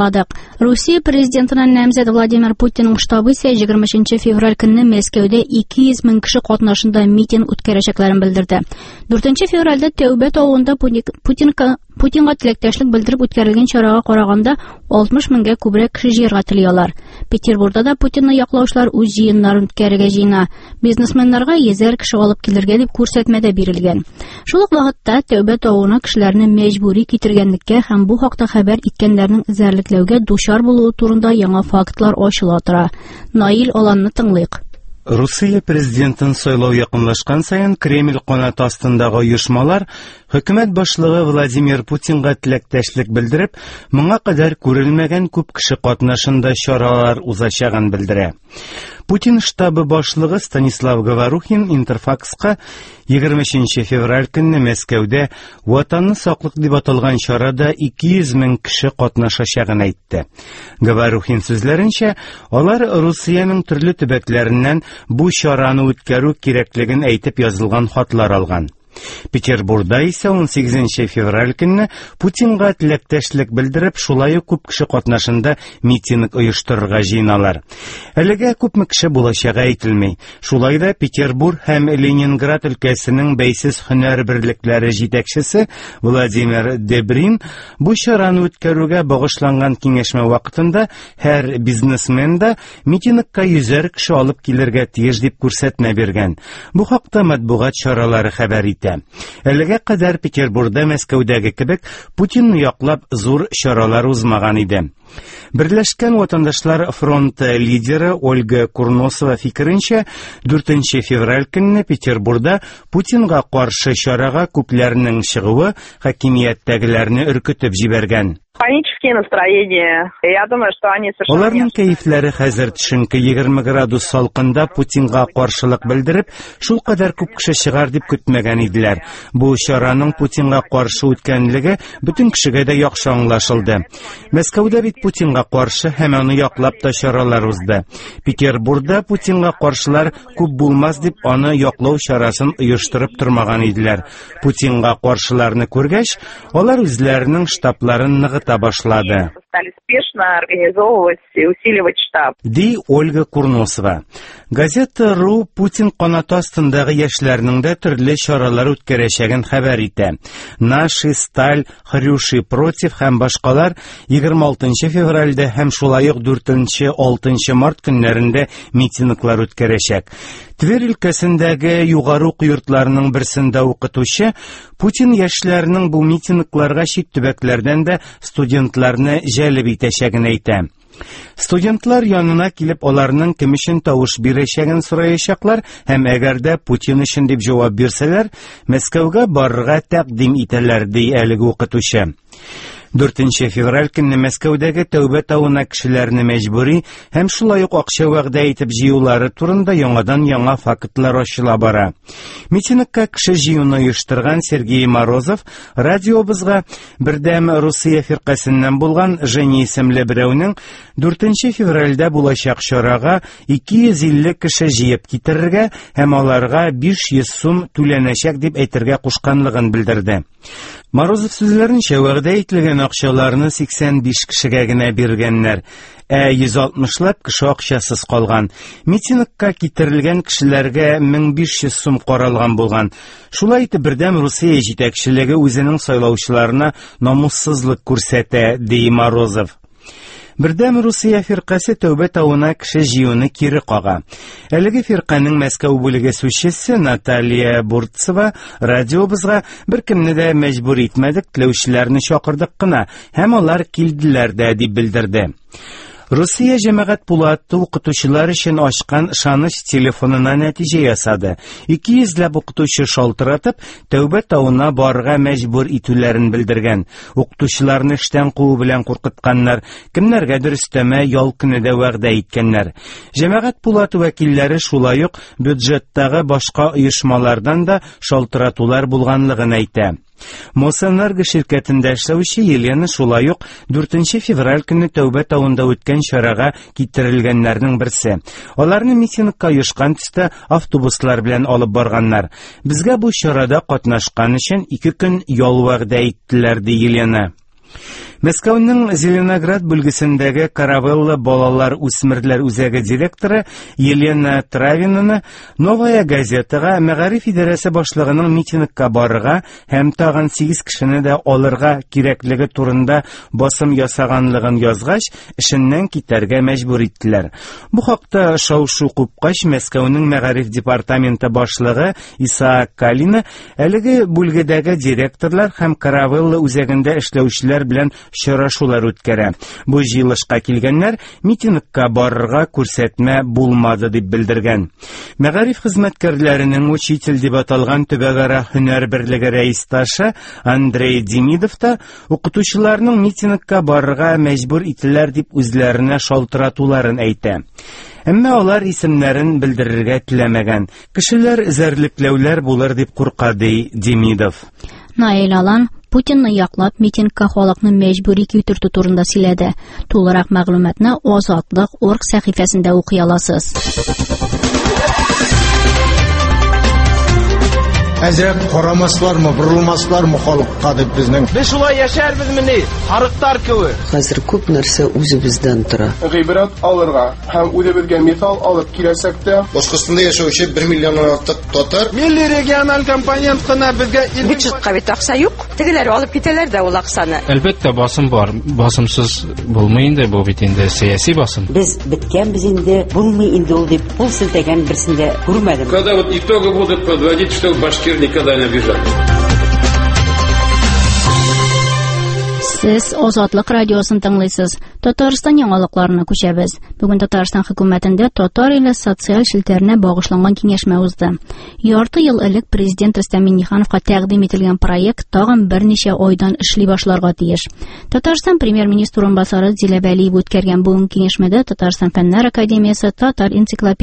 Ладык. Русия президентына намзәт Владимир Путинның штабы исә 23 февраль көнне Мәскәүдә 200 мең кеше катнашында митинг үткәрәчәкләрен белдерде. 4 февральдә Тәүбә тавында Путинга Путинга теләктәшлек белдереп үткәрелгән чарага караганда 60 меңгә күбрәк кеше җыярга тели алар. Петербурда да Путинны яклаучылар үз җыеннарын үткәрергә җыена. Бизнесменнарга йөзәр кеше алып килергә дип күрсәтмә дә бирелгән. Шул ук вакытта Тәүбә тавына кешеләрне мәҗбүри китергәнлеккә һәм бу хакта хәбәр иткәннәрнең эзәрлекләүгә дучар булуы турында яңа фактлар ачыла тора. Наил Аланны тыңлыйк. Русия президентын сайлау якынлашкан саен Кремль канаты астындагы оешмалар хөкүмәт башлыгы Владимир Путинга теләктәшлек белдереп, моңа кадәр күрелмәгән күп кеше катнашында чаралар узачагын белдерә. Путин штабы башлыгы Станислав Говорухин Интерфакска 23 февраль көнне Мәскәүдә Ватанны саклык дип аталган чарада 200 мең кеше катнашачагын әйтте. Говорухин сүзләренчә, алар Русиянең төрле төбәкләреннән бу чараны үткәрү кирәклеген әйтеп язылган хатлар алган. Петербурда исә 18 февраль көнне Путинга теләктәшлек белдереп, шулай ук күп кеше катнашында митинг оештырырга җыеналар. Әлегә күпме кеше булачагы әйтелми. Шулай да Петербург һәм Ленинград өлкәсенең бәйсез һөнәр берлекләре җитәкчесе Владимир Дебрин бу чараны үткәрүгә багышланган киңәшмә вакытында һәр бизнесмен да Митингка йөзәр кеше алып килергә тиеш дип күрсәтмә биргән. Бу хакта матбугат чаралары хәбәр итә. Әлегә кадәр Петербурда Мәскәүдәге кебек Путинны яклап зур чаралар узмаган иде. Берләшкән ватандашлар фронты лидеры Ольга Курносова фикеренчә, 4 февраль көнне Петербурда Путинга каршы чарага күпләрнең чыгуы хакимияттәгеләрне өркетеп җибәргән. Панические настроения. Я думаю, что они совершенно... Аларның кәефләре хәзер төшенке 20 градус салкында Путинга каршылык белдереп, шул кадәр күп кеше чыгар дип көтмәгән иделәр. Бу чараның Путинга каршы үткәнлеге бөтен кешегә дә яхшы аңлашылды. Мәскәүдә бит Путинга каршы һәм аны яклап та чаралар узды. Петербургда Путинга каршылар күп булмас дип аны яклау чарасын оештырып тормаган иделәр. Путинга каршыларны күргәч, Алар үзләренең штабларын ныгыта башлады. Стали спешно организовывать и усиливать штаб. Ди Ольга Курносова. Газета РУ Путин канаты астындагы яшьләрнең дә төрле чаралар үткәрәчәген хәбәр итә. Наши, Сталь, Хрюши против һәм башкалар 26 февральдә һәм шулай ук 4-6 март көннәрендә митинглар үткәрәчәк. Тверь өлкәсендәге югары уку йортларының берсендә укытучы Путин яшьләрнең бу митингларга чит төбәкләрдән дә студентларны җәлеп итәчәген әйтә. Студентлар янына килеп аларның кем өчен тавыш бирәчәген сораячаклар һәм әгәр дә Путин өчен дип җавап бирсәләр, Мәскәүгә барырга тәкъдим итәләр, ди әлеге укытучы. 4 февраль көнне Мәскәүдәге Тәүбә тавына кешеләрне мәҗбүри һәм шулай ук акча вәгъдә итеп җыюлары турында яңадан-яңа фактлар ачыла бара. Митингка кеше җыюны оештырган Сергей Морозов радиобызга Бердәм Русия фиркасеннән булган Женя исемле берәүнең 4 февральдә булачак чарага 250 кеше җыеп китерергә һәм аларга 500 сум түләнәчәк дип әйтергә кушканлыгын белдерде. Морозов сүзләренчә, вәгъдә ителгән акчаларны 85 кешегә генә биргәннәр, ә 160лап кеше акчасыз калган. Митингка китерелгән кешеләргә 1500 сум каралган булган. Шулай итеп, Бердәм Русия җитәкчелеге үзенең сайлаучыларына намуссызлык күрсәтә, ди Морозов. Бердәм Русия фиркасе Тәүбә тавына кеше җыюны кире кага. Әлеге фирканең Мәскәү бүлеге сүзчесе Наталья Бурцева радиобызга беркемне дә мәҗбүр итмәдек, теләүчеләрне чакырдык кына һәм алар килделәр дә дип белдерде. Русия җәмәгать пулаты укытучылар өчен ачкан ышаныч телефонына нәтиҗә ясады. 200 ләп укытучы шалтыратып, Тәүбә тавына барырга мәҗбүр итүләрен белдергән. Укытучыларны эштән куу белән куркытканнар, кемнәргәдер өстәмә ял көне дә вәгъдә иткәннәр. Җәмәгать пулаты вәкилләре шулай ук бюджеттагы башка оешмалардан да шалтыратулар булганлыгын әйтә. Мосэнерго ширкәтендә эшләүче Елена шулай ук 4 февраль көнне Тәүбә тавында үткән чарага китерелгәннәрнең берсе. Аларны митингка оешкан төстә автобуслар белән алып барганнар. Безгә бу чарада катнашкан өчен 2 көн ял вәгъдә иттеләр, ди Елена. Мәскәүнең Зеленоград бүлгесендәге Каравелла балалар үсмерләр үзәге директоры Елена Травинаны Новая газетага мәгариф идарәсе башлыгының митингка барырга һәм тагын 8 кешене дә алырга кирәклеге турында басым ясаганлыгын язгач, эшеннән китәргә мәҗбүр иттеләр. Бу хакта шау-шу купкач, Мәскәүнең мәгариф департаменты башлыгы Исаак Калина әлеге бүлгедәге директорлар һәм Каравелла үзәгендә эшләүчеләр белән очрашулар үткәрә. Бу җыелышка килгәннәр митингка барырга күрсәтмә булмады дип белдергән. Мәгариф хезмәткәрләренең учитель дип аталган төбәкара һөнәр берлеге рәисташы Андрей Демидов та укытучыларның митингка барырга мәҗбүр ителәр дип үзләренә шалтыратуларын әйтә. Әмма алар исемнәрен белдерергә теләмәгән. Кешеләр эзәрлекләүләр булыр дип курка, ди Демидов. Наил Алан Путинны яклап митингка халыкны мәҗбүри китертү турында сөйләде. Тулырак мәгълүматны Азатлык орг сәхифәсендә укый аласыз. Әзрәк карамаслармы, борылмаслармы халыкка дип безнең. Без шулай яшәрбезмени, сарыклар кебек. Хәзер күп нәрсә үзебездән тора. Гыйбрәт алырга һәм үзебезгә мисал алып киләчәктә Башкортстанда яшәүче 1 миллионнан артык татар Милли региональ компонент кына безгә Бюджетка бит акча юк. Тегеләр алып китәләр дә ул акчаны. Әлбәттә, басым бар. Басымсыз булмый инде, бу бит инде сәяси басым. Без беткәнбез инде, булмый инде ул дип кул селтәгән берсен дә күрмәдем. Когда вот итоги будут подводить, что башкир никогда не обижали. Сез Азатлык радиосын тыңлыйсыз. Татарстан яңалыкларына күчәбез. Бүген Татарстан хөкүмәтендә татар иле социаль челтәренә багышланган киңәшмә узды. Ярты ел элек президент Рөстәм Миңнехановка тәкъдим ителгән проект тагын берничә айдан эшли башларга тиеш. Татарстан премьер-министр урынбасары Зилә Вәлиева үткәргән бүгенге киңәшмәдә Татарстан Фәннәр академиясе, Татар энциклопедиясе